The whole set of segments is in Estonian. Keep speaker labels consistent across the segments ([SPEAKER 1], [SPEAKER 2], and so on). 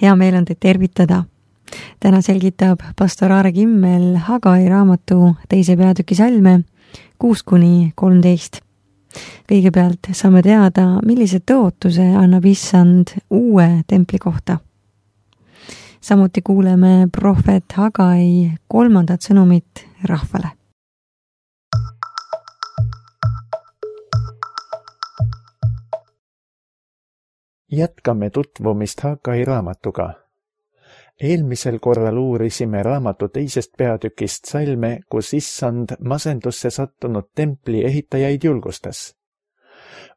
[SPEAKER 1] hea meel on teid tervitada. Täna selgitab pastor Aare Kimmel Hagai raamatu 2. peatüki salme 6-13. Kõigepealt saame teada, millise tõotuse annab Issand uue templi kohta. Samuti kuuleme prohvet Hagai 3. sõnumit rahvale.
[SPEAKER 2] Jätkame tutvumist Hagai raamatuga. Eelmisel korral uurisime raamatu 2. peatükist salme, kus Issand masendusse sattunud templi ehitajaid julgustas.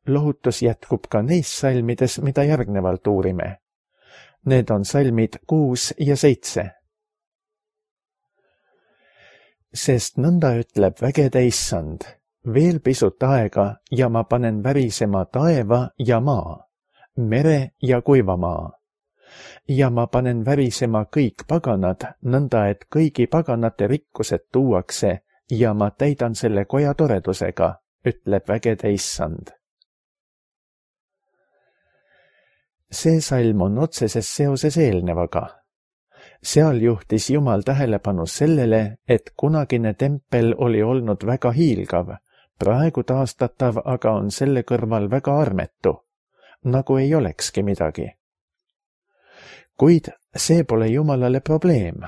[SPEAKER 2] Lohutus jätkub ka neis salmides, mida järgnevalt uurime. Need on salmid 6 ja 7. Sest nõnda ütleb vägede Issand, veel pisut aega ja ma panen värisema taeva ja maa, mere ja kuivamaa. Ja ma panen värisema kõik paganad, nõnda et kõigi paganate rikkused tuuakse ja ma täidan selle koja toredusega, ütleb vägede Issand. See salm on otseses seoses eelnevaga. Seal juhtis Jumal tähelepanu sellele, et kunagine tempel oli olnud väga hiilgav, praegu taastatav aga on selle kõrval väga armetu, nagu ei olekski midagi. Kuid see pole Jumalale probleem.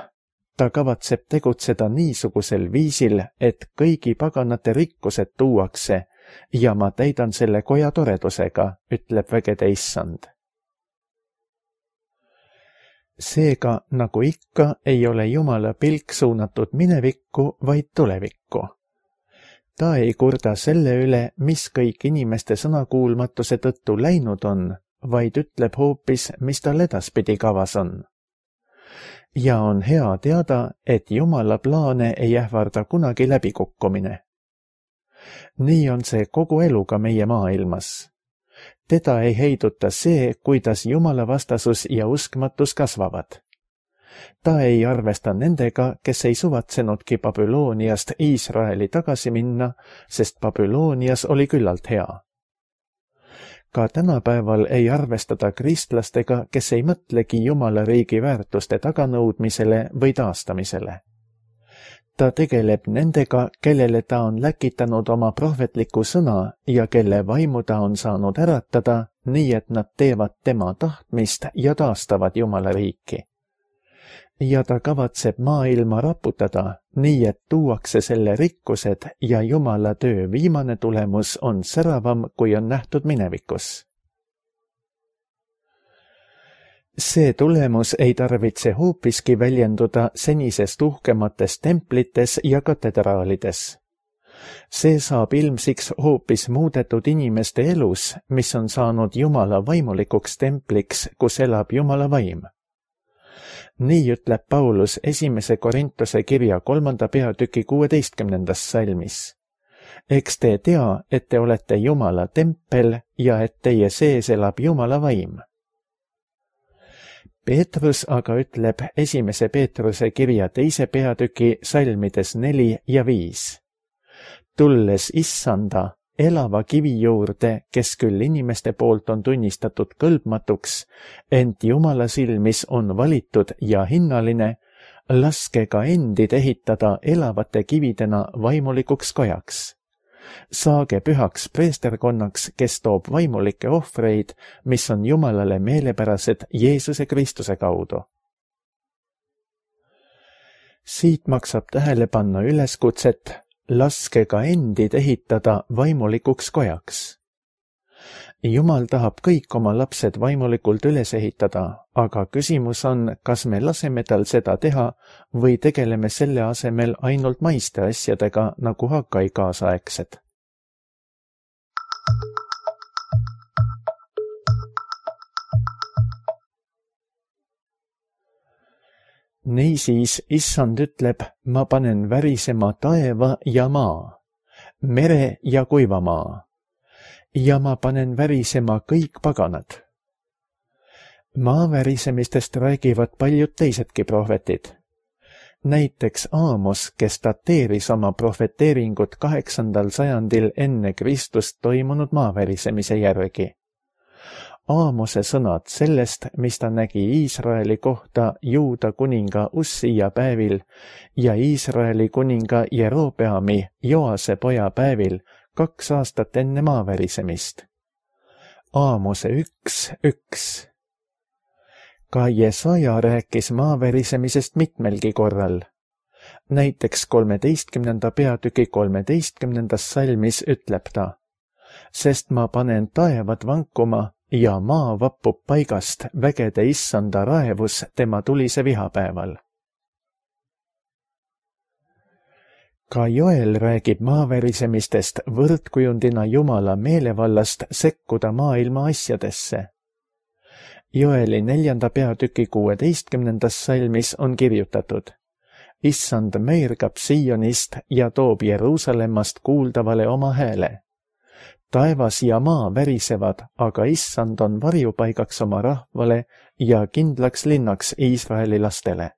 [SPEAKER 2] Ta kavatseb tegutseda niisugusel viisil, et kõigi paganate rikkused tuuakse ja ma täidan selle koja toredusega, ütleb vägede Issand. Seega, nagu ikka, ei ole Jumala pilk suunatud minevikku, vaid tulevikku. Ta ei kurda selle üle, mis kõik inimeste sõnakuulmatuse tõttu läinud on, vaid ütleb hoopis, mis tal edaspidi kavas on. Ja on hea teada, et Jumala plaane ei ähvarda kunagi läbikukkumine. Nii on see kogu eluga meie maailmas. Teda ei heiduta see, kuidas Jumala vastasus ja uskmatus kasvavad. Ta ei arvesta nendega, kes ei suvatsenudki Babyloniast Iisraeli tagasi minna, sest Babylonias oli küllalt hea. Ka tänapäeval ei arvestada kristlastega, kes ei mõtlegi Jumala riigi väärtuste taganõudmisele või taastamisele. Ta tegeleb nendega, kellele ta on läkitanud oma prohvetliku sõna ja kelle vaimu ta on saanud äratada, nii et nad teevad tema tahtmist ja taastavad Jumala riiki. Ja ta kavatseb maailma raputada, nii et tuuakse selle rikkused ja Jumala töö viimane tulemus on säravam, kui on nähtud minevikus. See tulemus ei tarvitse hoopiski väljenduda senisest uhkemates templites ja katedraalides. See saab ilmsiks hoopis muudetud inimeste elus, mis on saanud Jumala vaimulikuks templiks, kus elab Jumala vaim. Nii ütleb Paulus 1. Korintuse kirja 3. peatüki 16. salmis. Eks te tea, et te olete Jumala tempel ja et teie sees elab Jumala vaim. Peetrus aga ütleb 1. Peetruse kirja 2. peatüki salmides 4 ja 5. Tulles Issanda, elava kivi juurde, kes küll inimeste poolt on tunnistatud kõlbmatuks, ent Jumala silmis on valitud ja hinnaline, laske ka endid ehitada elavate kividena vaimulikuks kojaks. Saage pühaks preesterkonnaks, kes toob vaimulikke ohvreid, mis on Jumalale meelepärased Jeesuse Kristuse kaudu. Siit maksab tähele panna üleskutset, laske ka endid ehitada vaimulikuks kojaks. Jumal tahab kõik oma lapsed vaimulikult üles ehitada, aga küsimus on, kas me laseme tal seda teha või tegeleme selle asemel ainult maiste asjadega nagu Hagai kaasaegsed. Niisiis Issand ütleb, ma panen värisema taeva ja maa, mere ja kuivamaa, ja ma panen värisema kõik paganad. Maa värisemistest räägivad paljud teisedki prohvetid. Näiteks Aamos, kes dateeris oma prohveteeringut 8. sajandil enne Kristust toimunud maavärisemise järgi. Aamose sõnad sellest, mis ta nägi Iisraeli kohta Juuda kuninga Ussija päevil ja Iisraeli kuninga Jerobeami Joase poja päevil 2 aastat enne maavärisemist. Aamose 1:1. Ka Jesaja rääkis maavärisemisest mitmelgi korral. Näiteks 13. peatüki 13. salmis ütleb ta: sest ma panen taevad vankuma ja maa vappub paigast vägede issanda raevus tema tulise vihapäeval. Ka Joel räägib maavärisemistest võrdkujundina Jumala meelevallast sekkuda maailma asjadesse. Joeli 4. peatüki 16. salmis on kirjutatud: issand meergab Sionist ja toob Jeruusalemmast kuuldavale oma hääle. Taevas ja maa värisevad, aga issand on varjupaigaks oma rahvale ja kindlaks linnaks Iisraeli lastele.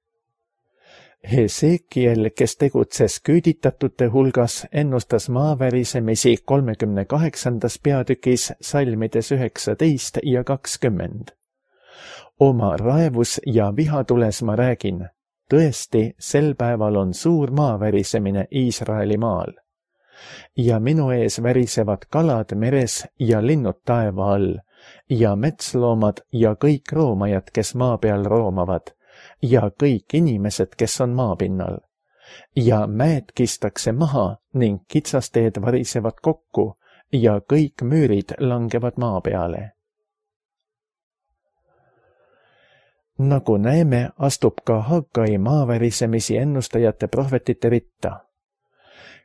[SPEAKER 2] Hesekiel, kes tegutses küüditatute hulgas, ennustas maavärisemisi 38. peatükis salmides 19 ja 20. Oma raevus ja vihatules ma räägin, tõesti, sel päeval on suur maavärisemine Iisraeli maal. Ja minu ees värisevad kalad meres ja linnud taeva all ja metsloomad ja kõik roomajad, kes maa peal roomavad, ja kõik inimesed, kes on maapinnal. Ja mäed kistakse maha ning kitsasteed varisevad kokku ja kõik müürid langevad maa peale. Nagu näeme, astub ka Haggai maavärisemisi ennustajate prohvetite ritta.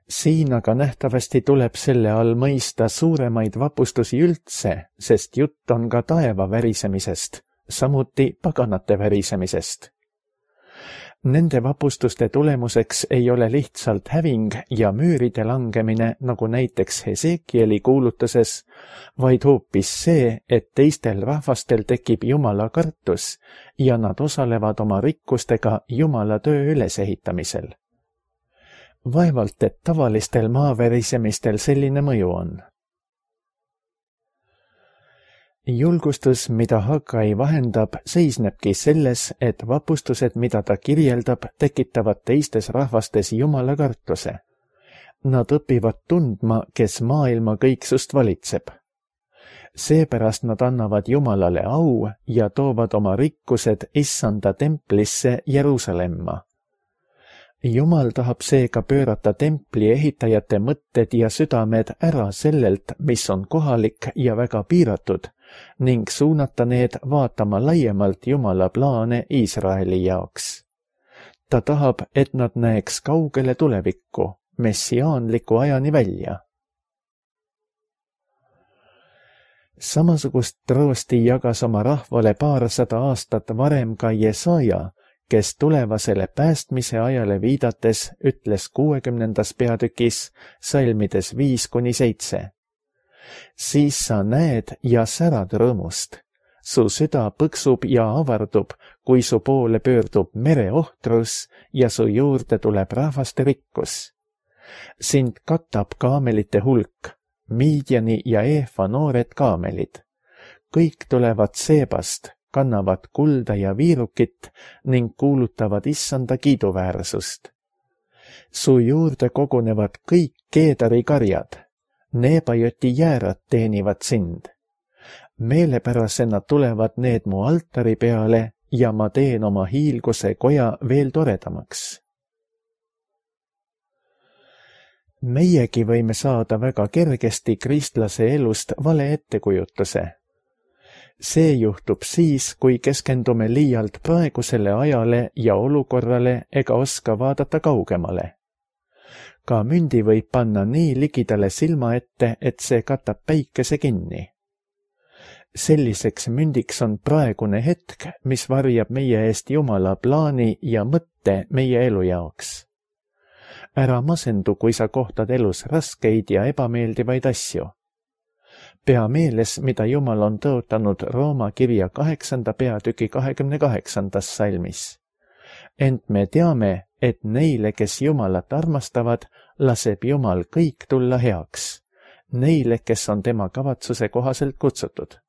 [SPEAKER 2] Siin aga nähtavasti tuleb selle all mõista suuremaid vapustusi üldse, sest jutt on ka taeva värisemisest, samuti paganate värisemisest. Nende vapustuste tulemuseks ei ole lihtsalt häving ja müüride langemine, nagu näiteks Hesekieli kuulutuses, vaid hoopis see, et teistel rahvastel tekib Jumala kartus ja nad osalevad oma rikkustega Jumala töö ülesehitamisel. Vaevalt, et tavalistel maavärisemistel selline mõju on. Julgustus, mida Haggai vahendab, seisnebki selles, et vapustused, mida ta kirjeldab, tekitavad teistes rahvastes Jumala kartuse. Nad õpivad tundma, kes maailma kõiksust valitseb. Seepärast nad annavad Jumalale au ja toovad oma rikkused issanda templisse Jeruusalemma. Jumal tahab seega pöörata templi ehitajate mõtted ja südamed ära sellelt, mis on kohalik ja väga piiratud, ning suunata need vaatama laiemalt Jumala plaane Iisraeli jaoks. Ta tahab, et nad näeks kaugele tulevikku, messiaanliku ajani välja. Samasugust troosti jagas oma rahvale 200 aastat varem ka Jesaja, kes tulevasele päästmise ajale viidates ütles 60. peatükis salmides 5-7. Siis sa näed ja särad rõõmust. Su süda põksub ja avardub, kui su poole pöördub mereohtrus ja su juurde tuleb rahvaste rikkus. Sind katab kaamelite hulk, Miidjani ja Eefa noored kaamelid. Kõik tulevad Seebast, kannavad kulda ja viirukit ning kuulutavad issanda kiiduväärsust. Su juurde kogunevad kõik Keedari karjad, Neebajoti jäärad teenivad sind. Meelepärasena tulevad need mu altari peale ja ma teen oma hiilguse koja veel toredamaks. Meiegi võime saada väga kergesti kristlase elust vale ettekujutuse. See juhtub siis, kui keskendume liialt praegusele ajale ja olukorrale ega oska vaadata kaugemale. Ka mündi võib panna nii ligidale silma ette, et see katab päikese kinni. Selliseks mündiks on praegune hetk, mis varjab meie eest Jumala plaani ja mõtte meie elu jaoks. Ära masendu, kui sa kohtad elus raskeid ja ebameeldivaid asju. Pea meeles, mida Jumal on tõotanud Rooma kirja 8. peatüki 28. salmis. Ent me teame, et neile, kes Jumalat armastavad, laseb Jumal kõik tulla heaks. Neile, kes on tema kavatsuse kohaselt kutsutud.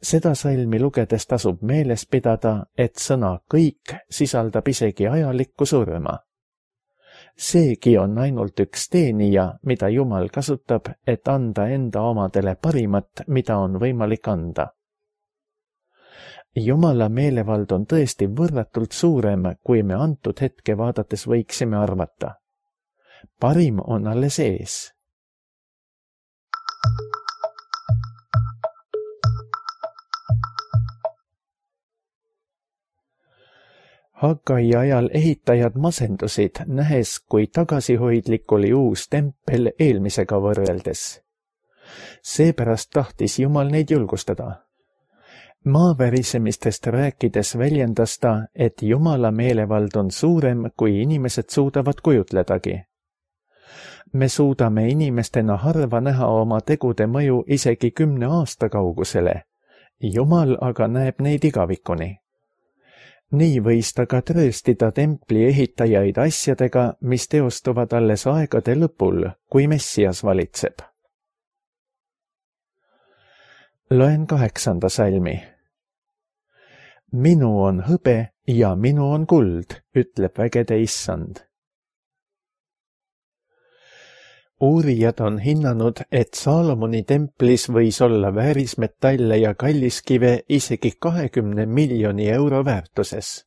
[SPEAKER 2] Seda salmi lugedes tasub meeles pidada, et sõna kõik sisaldab isegi ajalikku surma. Seegi on ainult üks teenija, mida Jumal kasutab, et anda enda omadele parimat, mida on võimalik anda. Jumala meelevald on tõesti võrratult suurem, kui me antud hetke vaadates võiksime arvata. Parim on alles ees. Hagai ajal ehitajad masendusid, nähes, kui tagasihoidlik oli uus tempel eelmisega võrreldes. Seepärast tahtis Jumal neid julgustada. Maavärisemistest rääkides väljendas ta, et Jumala meelevald on suurem, kui inimesed suudavad kujutledagi. Me suudame inimestena harva näha oma tegude mõju isegi 10 aasta kaugusele. Jumal aga näeb neid igavikuni. Nii võis ta ka trööstida templi ehitajaid asjadega, mis teostuvad alles aegade lõpul, kui Messias valitseb. Loen 8. salmi. Minu on hõbe ja minu on kuld, ütleb vägede issand. Uurijad on hinnanud, et Saalomoni templis võis olla väärismetalle ja kalliskive isegi 20 miljoni euro väärtuses.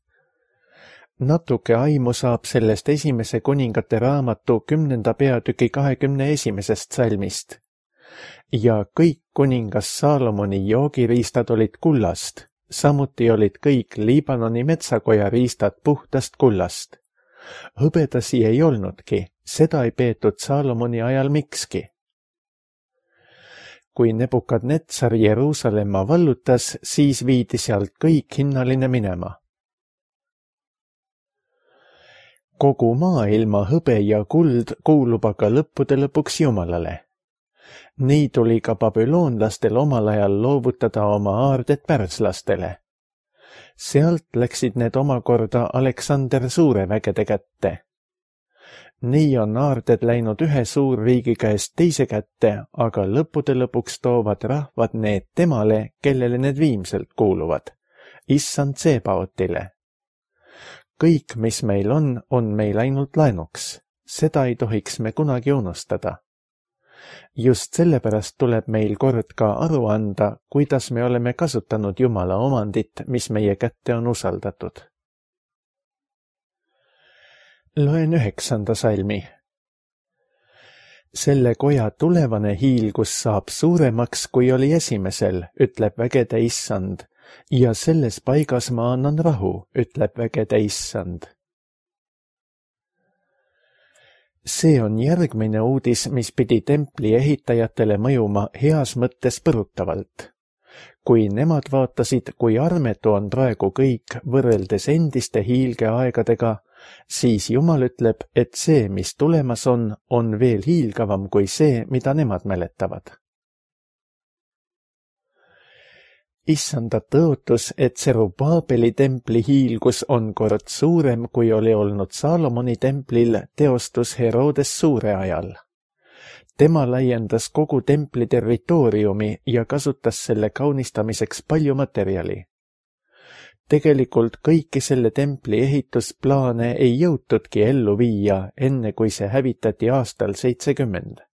[SPEAKER 2] Natuke aimu saab sellest esimese kuningate raamatu 10. peatüki 21. salmist. Ja kõik kuningas Saalomoni joogiriistad olid kullast, samuti olid kõik Liibanoni metsakoja riistad puhtast kullast. Hõbedasi ei olnudki, seda ei peetud Saalomoni ajal mikski. Kui Nebukadnetsar Jeruusalemma vallutas, siis viidi sealt kõik hinnaline minema. Kogu maailma hõbe ja kuld kuulub aga lõppude lõpuks Jumalale. Nii tuli ka babüloonlastel omal ajal loovutada oma aarded pärslastele. Sealt läksid need omakorda Aleksander Suure vägede kätte. Nii on aarded läinud ühe suurriigi käest teise kätte, aga lõppude lõpuks toovad rahvad need temale, kellele need viimselt kuuluvad, issand Tsebaotile. Kõik, mis meil on meil ainult laenuks. Seda ei tohiks me kunagi unustada. Just sellepärast tuleb meil kord ka aru anda, kuidas me oleme kasutanud Jumala omandit, mis meie kätte on usaldatud. Loen 9. salmi. Selle koja tulevane hiilgus saab suuremaks, kui oli esimesel, ütleb vägede issand, ja selles paigas ma annan rahu, ütleb vägede issand. See on järgmine uudis, mis pidi templi ehitajatele mõjuma heas mõttes põrutavalt. Kui nemad vaatasid, kui armetu on praegu kõik võrreldes endiste hiilgeaegadega, siis Jumal ütleb, et see, mis tulemas on veel hiilgavam kui see, mida nemad mäletavad. Issanda tõotus, et Serubaabeli templi hiilgus on kord suurem, kui oli olnud Saalomoni templil, teostus Herodes Suure ajal. Tema laiendas kogu templi territooriumi ja kasutas selle kaunistamiseks palju materjali. Tegelikult kõiki selle templi ehitusplaane ei jõutudki ellu viia, enne kui see hävitati aastal 70.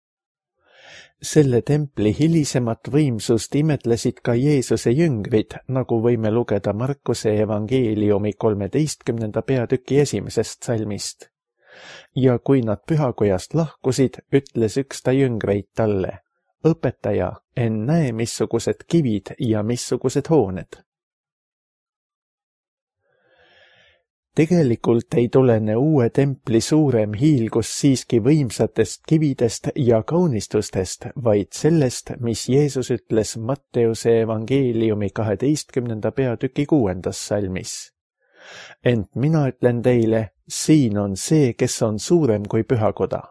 [SPEAKER 2] Selle templi hilisemat võimsust imetlesid ka Jeesuse jüngrid, nagu võime lugeda Markuse evangeeliumi 13. peatüki 1. salmist. Ja kui nad pühakojast lahkusid, ütles üks ta jüngreid talle, õpetaja, näe, missugused kivid ja missugused hooned. Tegelikult ei tulene uue templi suurem hiilgus siiski võimsatest kividest ja kaunistustest, vaid sellest, mis Jeesus ütles Matteuse evangeeliumi 12. peatüki 6. salmis. Ent mina ütlen teile, siin on see, kes on suurem kui pühakoda.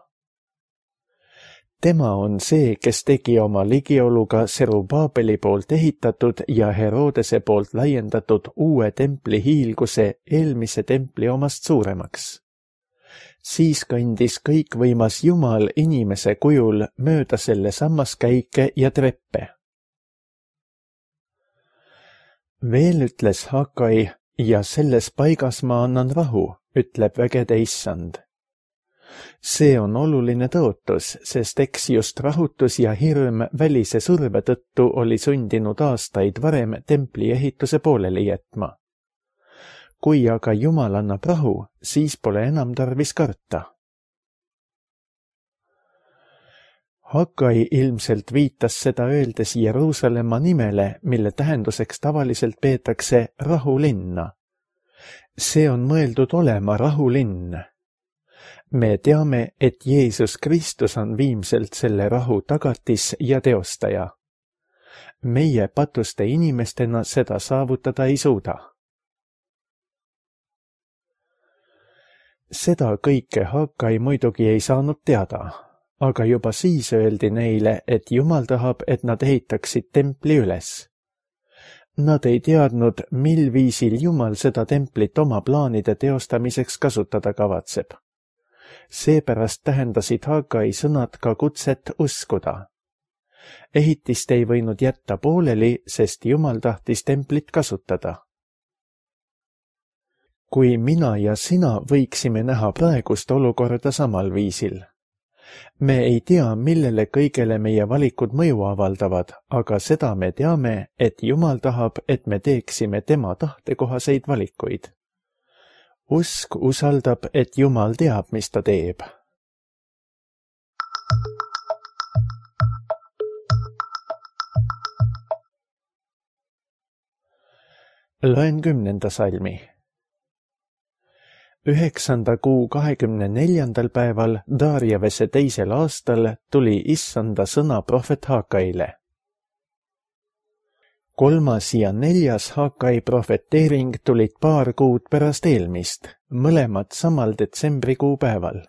[SPEAKER 2] Tema on see, kes tegi oma ligioluga Serubaabeli poolt ehitatud ja Herodese poolt laiendatud uue templi hiilguse eelmise templi omast suuremaks. Siis kõndis kõikvõimas Jumal inimese kujul mööda selle sammaskäike ja treppe. Veel ütles Hagai, ja selles paigas ma annan rahu, ütleb vägede issand. See on oluline tõotus, sest eks just rahutus ja hirm välise surve tõttu oli sundinud aastaid varem templi ehituse pooleli jätma. Kui aga Jumal annab rahu, siis pole enam tarvis karta. Hagai ilmselt viitas seda öeldes Jeruusalemma nimele, mille tähenduseks tavaliselt peetakse rahulinna. See on mõeldud olema rahulinn. Me teame, et Jeesus Kristus on viimselt selle rahu tagatis ja teostaja. Meie patuste inimestena seda saavutada ei suuda. Seda kõike Hagai muidugi ei saanud teada, aga juba siis öeldi neile, et Jumal tahab, et nad ehitaksid templi üles. Nad ei teadnud, mil viisil Jumal seda templit oma plaanide teostamiseks kasutada kavatseb. Seepärast tähendasid Hagai sõnad ka kutset uskuda. Ehitist ei võinud jätta pooleli, sest Jumal tahtis templit kasutada. Kui mina ja sina võiksime näha praegust olukorda samal viisil. Me ei tea, millele kõigele meie valikud mõju avaldavad, aga seda me teame, et Jumal tahab, et me teeksime tema tahtekohaseid valikuid. Usk usaldab, et Jumal teab, mis ta teeb. Loen 10. salmi. 9. kuu 24. päeval Darjavese 2. aastal tuli issanda sõna prohvet Hagaile. 3. ja 4. Hagai profeteering tulid paar kuud pärast eelmist, mõlemad samal detsembrikuu päeval.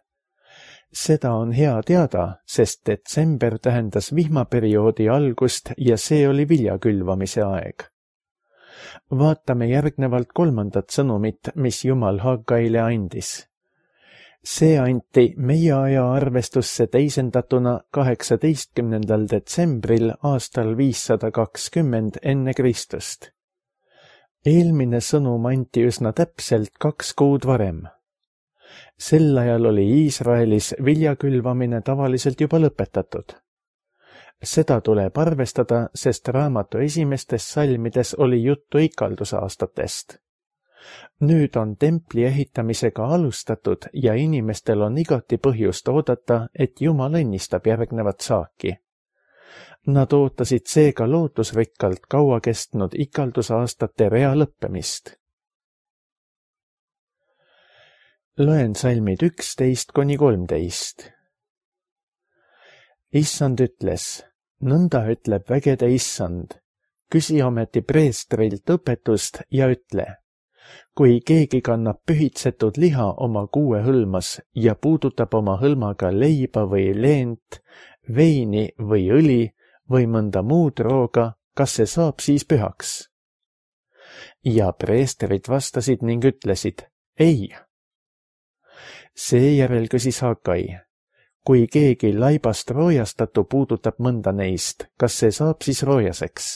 [SPEAKER 2] Seda on hea teada, sest detsember tähendas vihmaperioodi algust ja see oli vilja külvamise aeg. Vaatame järgnevalt 3. sõnumit, mis Jumal Hagaile andis. See anti meie aja arvestusse teisendatuna 18. detsembril aastal 520 enne Kristust. Eelmine sõnum anti üsna täpselt 2 kuud varem. Sel ajal oli Iisraelis viljakülvamine tavaliselt juba lõpetatud. Seda tuleb arvestada, sest raamatu esimestes salmides oli juttu ikaldusaastatest. Nüüd on templi ehitamisega alustatud ja inimestel on igati põhjust oodata, et Jumal õnnistab järgnevat saaki. Nad ootasid seega lootusrikkalt kaua kestnud ikaldusaastate rea lõppemist. Loen salmid 11–13. Issand ütles, nõnda ütleb vägede issand, küsi ometi preestrilt õpetust ja ütle, kui keegi kannab pühitsetud liha oma kuue hõlmas ja puudutab oma hõlmaga leiba või leent, veini või õli või mõnda muud rooga, kas see saab siis pühaks? Ja preestrid vastasid ning ütlesid, ei. Seejärel küsis Hagai, kui keegi laibast roojastatu puudutab mõnda neist, kas see saab siis roojaseks?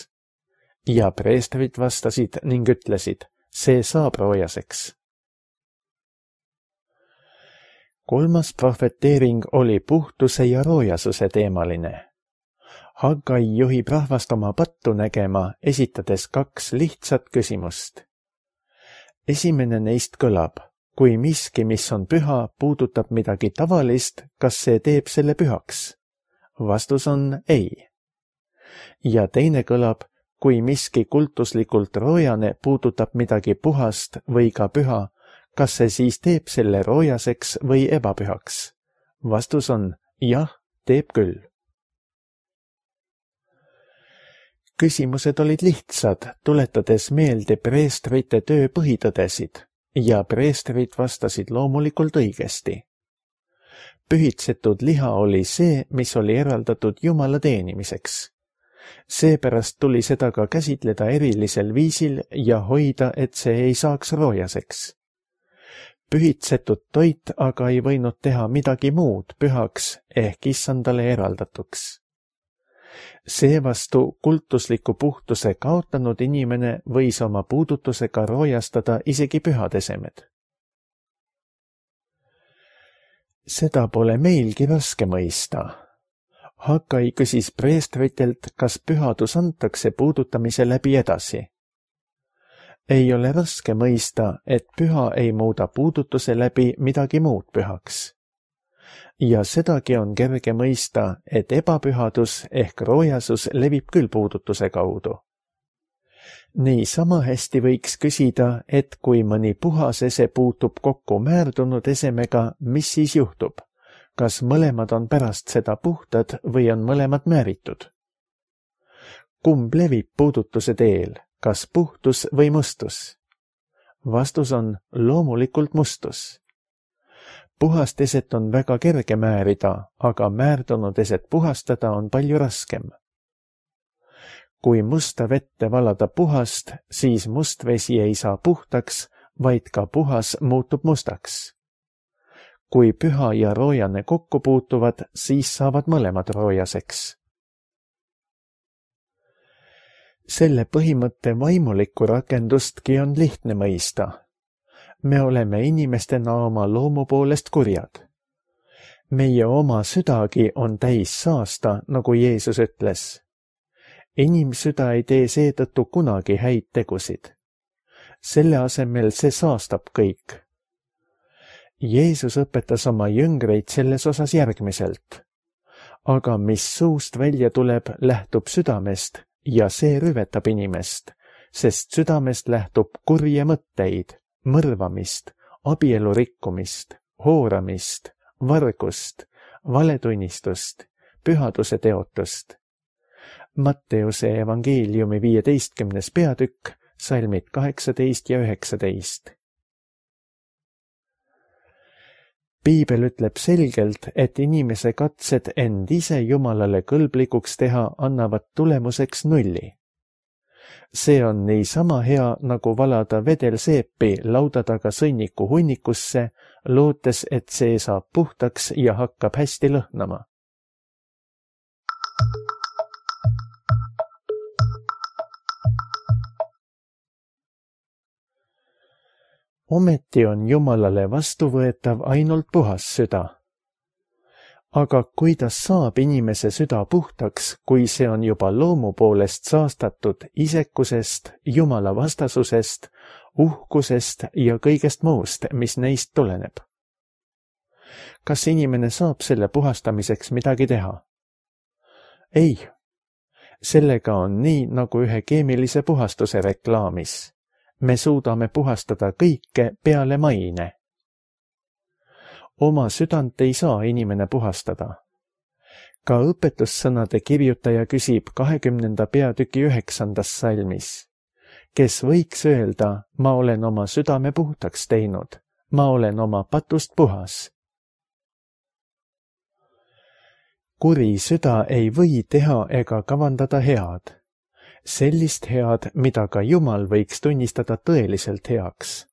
[SPEAKER 2] Ja preestrid vastasid ning ütlesid, see saab roojaseks. 3. profeteering oli puhtuse ja roojasuse teemaline. Hagai juhib rahvast oma pattu nägema, esitades 2 lihtsat küsimust. Esimene neist kõlab, kui miski, mis on püha, puudutab midagi tavalist, kas see teeb selle pühaks? Vastus on ei. Ja teine kõlab, kui miski kultuslikult roojane puudutab midagi puhast või ka püha, kas see siis teeb selle roojaseks või ebapühaks? Vastus on jah, teeb küll. Küsimused olid lihtsad, tuletades meelde preestrite töö põhitõdesid. Ja preestrid vastasid loomulikult õigesti. Pühitsetud liha oli see, mis oli eraldatud Jumala teenimiseks. Seepärast tuli seda ka käsitleda erilisel viisil ja hoida, et see ei saaks roojaseks. Pühitsetud toit aga ei võinud teha midagi muud pühaks ehk issandale eraldatuks. Seevastu kultusliku puhtuse kaotanud inimene võis oma puudutusega roojastada isegi pühad esemed. Seda pole meilgi raske mõista. Hakai küsis preestritelt, kas pühadus antakse puudutamise läbi edasi. Ei ole raske mõista, et püha ei muuda puudutuse läbi midagi muud pühaks. Ja sedagi on kerge mõista, et ebapühadus ehk roojasus levib küll puudutuse kaudu. Nii sama hästi võiks küsida, et kui mõni puhas ese puutub kokku määrdunud esemega, mis siis juhtub? Kas mõlemad on pärast seda puhtad või on mõlemad määritud? Kumb levib puudutuse teel, kas puhtus või mustus? Vastus on loomulikult mustus. Puhast eset on väga kerge määrida, aga määrdunud eset puhastada on palju raskem. Kui musta vette valada puhast, siis must vesi ei saa puhtaks, vaid ka puhas muutub mustaks. Kui püha ja roojane kokku puutuvad, siis saavad mõlemad roojaseks. Selle põhimõtte vaimulikku rakendustki on lihtne mõista. Me oleme inimestena oma loomu poolest kurjad. Meie oma südagi on täis saasta, nagu Jeesus ütles. Inimsüda ei tee seetõttu kunagi häid tegusid. Selle asemel see saastab kõik. Jeesus õpetas oma jüngreid selles osas järgmiselt. Aga mis suust välja tuleb, lähtub südamest ja see rüvetab inimest, sest südamest lähtub kurje mõtteid, mõrvamist, abielu rikkumist, hooramist, vargust, valetunnistust, pühaduse teotust. Matteuse evangeeliumi 15. peatükk, salmid 18 ja 19. Piibel ütleb selgelt, et inimese katsed end ise Jumalale kõlblikuks teha annavad tulemuseks 0. See on niisama hea, nagu valada vedelseepi lauda taga sõnniku hunnikusse, lootes, et see saab puhtaks ja hakkab hästi lõhnama. Ometi on Jumalale vastuvõetav ainult puhas süda. Aga kuidas saab inimese süda puhtaks, kui see on juba loomu poolest saastatud isekusest, Jumala vastasusest, uhkusest ja kõigest muust, mis neist tuleneb? Kas inimene saab selle puhastamiseks midagi teha? Ei. Sellega on nii, nagu ühe keemilise puhastuse reklaamis. Me suudame puhastada kõike peale maine. Oma südant ei saa inimene puhastada. Ka õpetussõnade kirjutaja küsib 20. peatüki 9. salmis. Kes võiks öelda, ma olen oma südame puhtaks teinud, ma olen oma patust puhas. Kuri süda ei või teha ega kavandada head. Sellist head, mida ka Jumal võiks tunnistada tõeliselt heaks.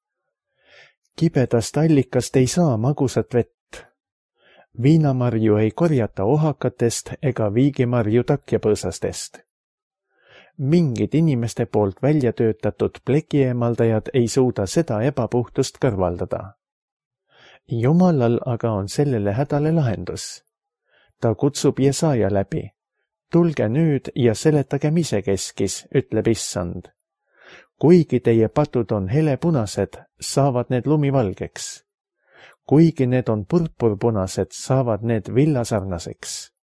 [SPEAKER 2] Kibedast allikast ei saa magusat vett. Viinamarju ei korjata ohakatest ega viigimarju takjapõõsastest. Mingid inimeste poolt välja töötatud plekieemaldajad ei suuda seda ebapuhtust kõrvaldada. Jumalal aga on sellele hädale lahendus. Ta kutsub Jesaja läbi. Tulge nüüd ja seletagem isekeskis, ütleb Issand. Kuigi teie patud on helepunased, saavad need lumivalgeks. Kuigi need on purpurpunased, saavad need villasarnaseks.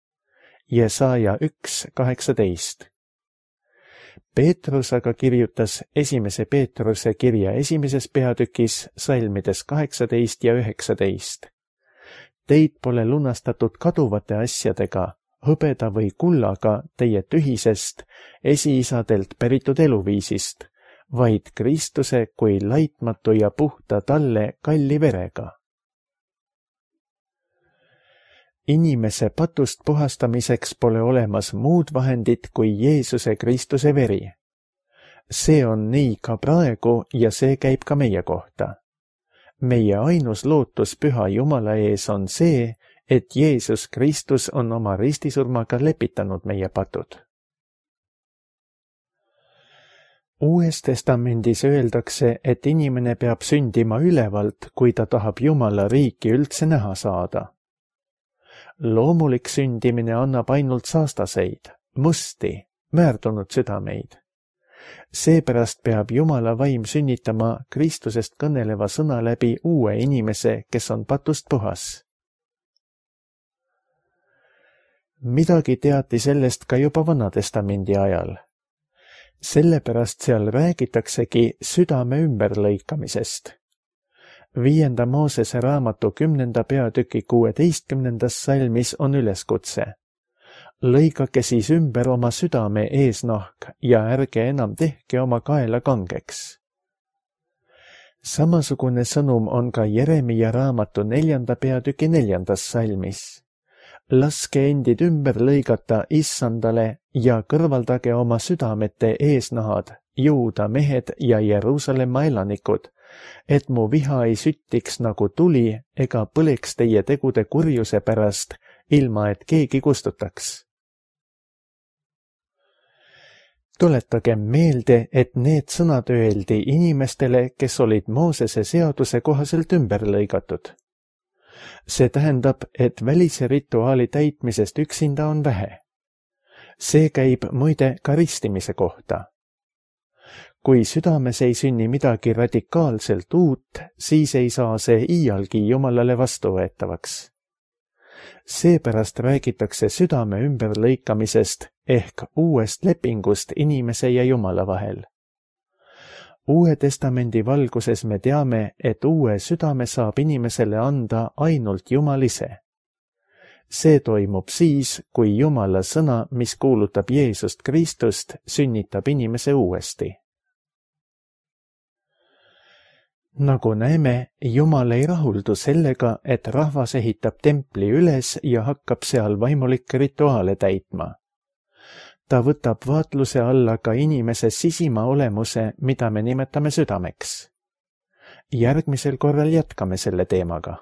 [SPEAKER 2] Jesaja 1:18. Peetrus aga kirjutas 1. Peetruse kirja 1. peatükis salmides 18 ja 19. Teid pole lunastatud kaduvate asjadega, hõbeda või kullaga teie tühisest esiisadelt päritud eluviisist, vaid Kristuse kui laitmatu ja puhta talle kalli verega. Inimese patust puhastamiseks pole olemas muud vahendit kui Jeesuse Kristuse veri. See on nii ka praegu ja see käib ka meie kohta. Meie ainus lootus Püha Jumala ees on see, et Jeesus Kristus on oma ristisurmaga lepitanud meie patud. Uues testamendis öeldakse, et inimene peab sündima ülevalt, kui ta tahab Jumala riiki üldse näha saada. Loomulik sündimine annab ainult saastaseid, musti, väärdunud südameid. Seepärast peab Jumala vaim sünnitama Kristusest kõneleva sõna läbi uue inimese, kes on patust puhas. Midagi teati sellest ka juba Vanatestamendi ajal. Sellepärast seal räägitaksegi südame ümberlõikamisest. 5. Moosese raamatu 10. peatüki 16. salmis on üleskutse. Lõigake siis ümber oma südame eesnahk ja ärge enam tehke oma kaela kangeks. Samasugune sõnum on ka Jeremia raamatu 4. peatüki 4. salmis. Laske endid ümber lõigata Issandale ja kõrvaldage oma südamete eesnahad, Juuda mehed ja Jeruusalemma elanikud, et mu viha ei süttiks nagu tuli ega põleks teie tegude kurjuse pärast, ilma et keegi kustutaks. Tuletagem meelde, et need sõnad öeldi inimestele, kes olid Moosese seaduse kohaselt ümber lõigatud. See tähendab, et välise rituaali täitmisest üksinda on vähe. See käib muide ka ristimise kohta. Kui südames ei sünni midagi radikaalselt uut, siis ei saa see iialgi Jumalale vastuvõetavaks. Seepärast räägitakse südame ümberlõikamisest ehk uuest lepingust inimese ja Jumala vahel. Uue testamendi valguses me teame, et uue südame saab inimesele anda ainult Jumal ise. See toimub siis, kui Jumala sõna, mis kuulutab Jeesust Kristust, sünnitab inimese uuesti. Nagu näeme, Jumal ei rahuldu sellega, et rahvas ehitab templi üles ja hakkab seal vaimulikke rituaale täitma. Ta võtab vaatluse alla ka inimese sisima olemuse, mida me nimetame südameks. Järgmisel korral jätkame selle teemaga.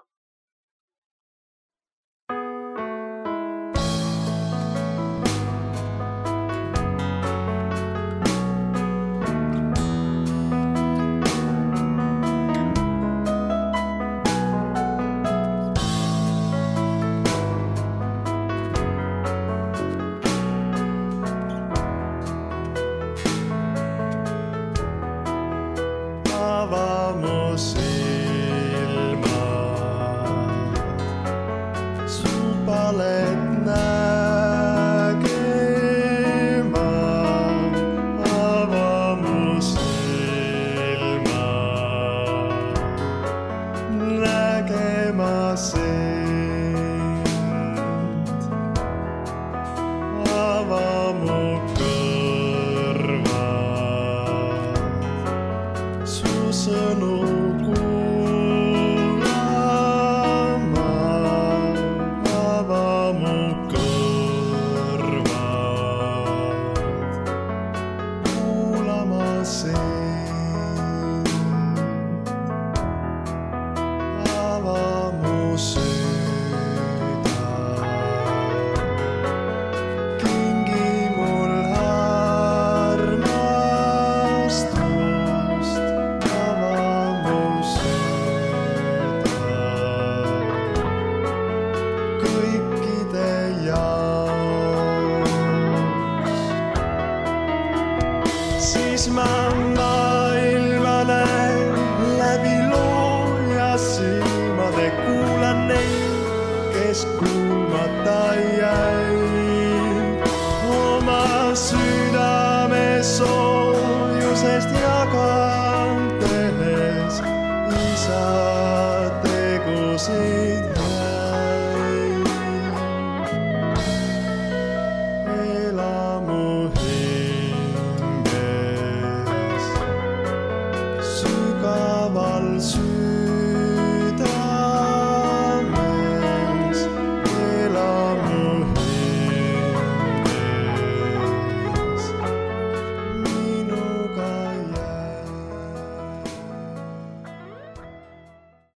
[SPEAKER 3] Siis ma maailmale läbi looja silmade kuulan neid, kes